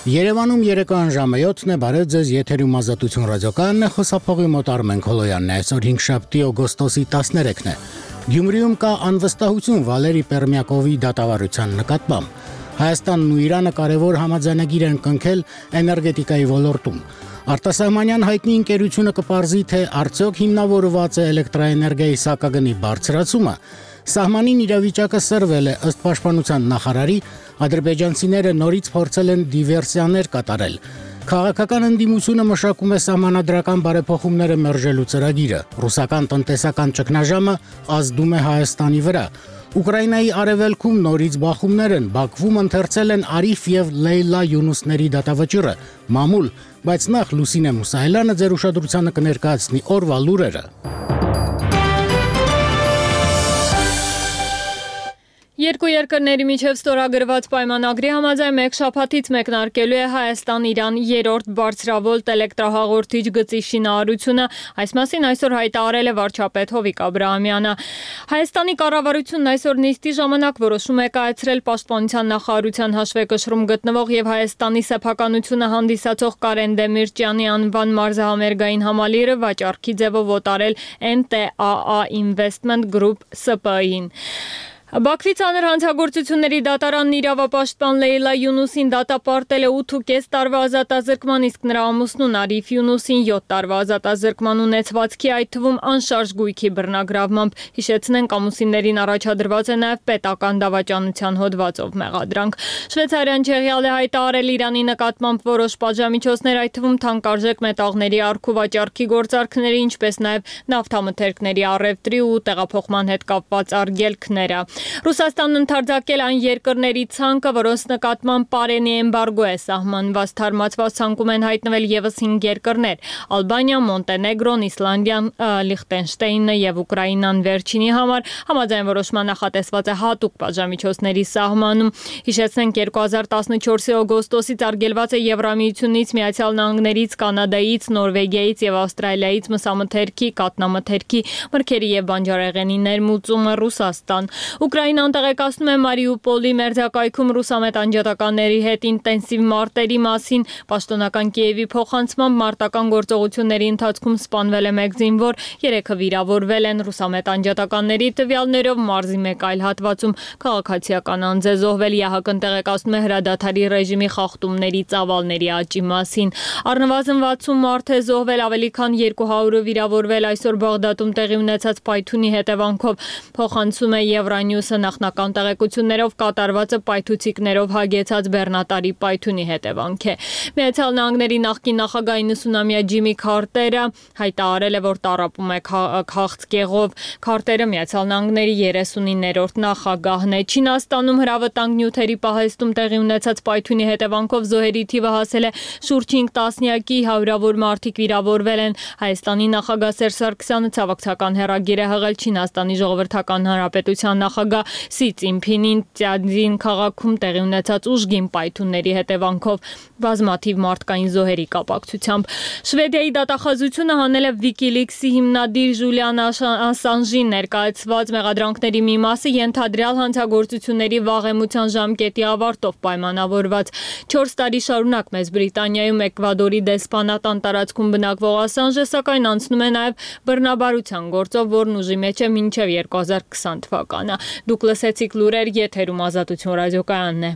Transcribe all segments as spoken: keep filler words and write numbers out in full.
Երևանում երեկոյան ժամը յոթն է, բարև ձեզ, եթերում Ազատություն ռադիոկայանն է, խոսափողի մոտ Արմեն Քոլոյանն է, այսօր հինգշաբթի օգոստոսի տասներեքն է։ Գյումրիում կա անվստահություն Վալերի Պերմյակովի դատավարության նկատմամբ։ Հայաստանն ու Իրանը կարևոր համաձայնագիր են կնքել էներգետիկայի ոլորտում։ Արտասահմանյան հայտնի ընկերությունը կպարզի, թե արդյոք հիմնավորված է էլեկտրաէներգիայի սակագնի բարձրացումը։ Սահմանին իրավիճակը սրվել է, ըստ պաշտպանության նախարարի, ադրբեջանցիները նորից փորձել են դիվերսիաներ կատարել։ Քաղաքական ընդդիմությունը մշակում է սահմանադրական բարեփոխումները մերժելու ծրագիրը։ Ռուսական տնտեսական ճգնաժամը ազդում է Հայաստանի վրա։ Ուկրաինայի արևելքում նորից բախումներ են, Բաքվում ընթերցել են Արիֆ եւ Լեյլա Յունուսների դատավճիռը, մամուլ, բայց նախ Լուսինե Մուսայելյանը ձեր ուշադրությանը կներկայացնի օրվա լուրերը։ Երկու երկրների միջև ստորագրված պայմանագրի համաձայն մեկ շաբաթից մեկնարկելու է Հայաստան-Իրան երրորդ բարձրավոլտ էլեկտրահաղորդիչ գծի շինարարությունը, այս մասին այսօր հայտարարել է վարչապետ Հովիկ Աբրահամյանը։ Հայաստանի կառավարությունն այսօր նիստի ժամանակ որոշում է կայացրել պաշտպանության նախարարության հաշվեկշռում գտնվող եւ Հայաստանի սեփականությունը հանդիսացող Կարեն Դեմիրճյանի անվան մարզահամերգային համալիրը վաճառքի ձևով օտարել Էն Տե Ա Ա Investment Group Սը Պը Ին։ Բաքվի ծանր հանցագործությունների դատարանն իրավապաշտպան Լեյլա Յունուսին դատապարտել է ութ տարվա ազատազրկման, իսկ նրա ամուսնուն Արիֆ Յունուսին յոթ տարվա ազատազրկման ունեցվածքի, այդ թվում անշարժ գույքի բռնագրավմամբ։ Հիշեցնենք, ամուսիններին առաջադրված է նաև պետական դավաճանության հոդվածով մեղադրանք։ Շվեյցարիան Չեխիալ է հայտարարել Իրանի նկատմամբ որոշ պատժամիջոցներ, այդ թվում թանկարժեք մետաղների առք ու վաճառքի գործարքների, ինչպես նաև նավթամթերքների առևտրի ու տեղափոխման հետ կապված արգելքները։ Ռուսաստանն ընդարձակել այն երկրների ցանկը, որոնց նկատմամբ պարենի էմբարգո է սահմանված, թարմացված ցանկում են հայտնվել ևս հինգ երկրներ՝ Ալբանիան, Մոնտենեգրոն, Իսլանդիան, Լիխտենշտեյնը եւ Ուկրաինան վերջինի համար համաձայն որոշման նախատեսված է հատուկ պատժամիջոցների սահմանում։ Հիշեցնենք, երկու հազար տասնչորսի օգոստոսից արգելված է Եվրամիությունից, Միացյալ Նահանգներից, Կանադայից, Նորվեգիայից եւ Ավստրալիայից մսամթերքի, կաթնամթերքի, մրգերի եւ բանջարեղենի ներմուծումը Ռուսաստան։ Ուկրաինան տեղեկացնում է Մարիուպոլի մերձակայքում ռուսամետ անջատականների հետ ինտենսիվ մարտերի մասին։ Պաշտոնական Կիևի փոխանցմամբ մարտական գործողությունների ընթացքում սպանվել է մեկ զինվոր, երեքը վիրավորվել են ռուսամետ անջատականների տվյալներով մարզի մեկ այլ հատվածում քաղաքացիական անձ է զոհվել։ ԵԱՀԿ-ն տեղեկացնում է հրադադարի ռեժիմի խախտումների ծավալների աճի մասին։ Առնվազն վաթսուն մարդ է զոհվել, ավելի քան երկու հարյուրը վիրավորվել այսօր Բաղդադում տեղի ունեցած պայթյունի հետևանքով։ Փոխանցում է Евроньюսը նախնական տեղեկություններով կատարվածը պայթուցիկներով հագեցած բեռնատարի պայթյունի հետևանք է։ Միացյալ Նահանգների նախկին նախագահ իննսունամյա Ջիմի Քարտերը հայտարարել է, որ տառապում է քաղցկեղով։ Քարտերը Միացյալ Նահանգների երեսունիններորդ նախագահն է։ Չինաստանում հրավտանգ նյութերի պահեստում տեղի ունեցած պայթյունի հետևանքով զոհերի թիվը հասել է շուրջ հինգ տասնյակի, հարյուրավոր մարդիկ վիրավորվել են։ Հայաստանի նախագահ Սերժ Սարգսյանը ցավակցական հեռագիր է հղել Չինաստանի Ժողովրդական Հանրապետության նախագահ Սի Ցզինփինին Տիանջին քաղաքում տեղի ունեցած ուժգին պայթյունների հետևանքով բազմաթիվ մարդկային զոհերի կապակցությամբ։ Շվեդիայի դատախազությունը հանել է WikiLeaks-ի հիմնադիր Ժուլիան Ասանժի ներկայացված մեղադրանքների մի մասը ենթադրյալ հանցագործությունների վաղեմության ժամկետի ավարտով պայմանավորված։ չորս տարի շարունակ Մեծ Բրիտանիայում Էկվադորի դեսպանատան տարածքում բնակվող Ասանժը սակայն անցնում է նաև բռնաբարության գործով, որն ուժի մեջ է մինչև երկու հազար քսան թվականը։ Դուք լսեցիք լուրեր, եթերում Ազատություն ռադիոկայանն է։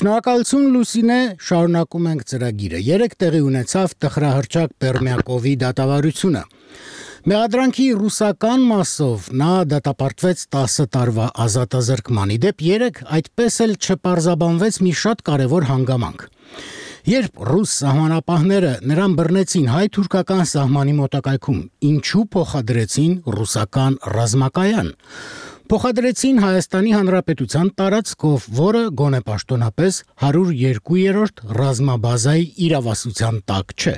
Շնորհակալություն Լուսինե, շարունակում ենք ծրագիրը։ Երեկ տեղի ունեցավ տխրահռչակ Պերմյակովի դատավարությունը։ Մեղադրանքի ռուսական մասով նա դատապարտվեց տասը տարվա ազատազրկման։ Իդեպ երեկ այդպես էլ չպարզաբանվեց մի շատ կարևոր հանգամանք։ Երբ ռուս սահմանապահները նրան բռնեցին հայ-թուրքական սահմանի մոտակայքում, ինչու փոխադրեցին ռուսական ռազմակայան։ Փոխադրեցին Հայաստանի Հանրապետության տարածքով, որը գոնե պաշտոնապես հարյուր երկու երրորդ ռազմաբազայի իրավասության տակ չէ։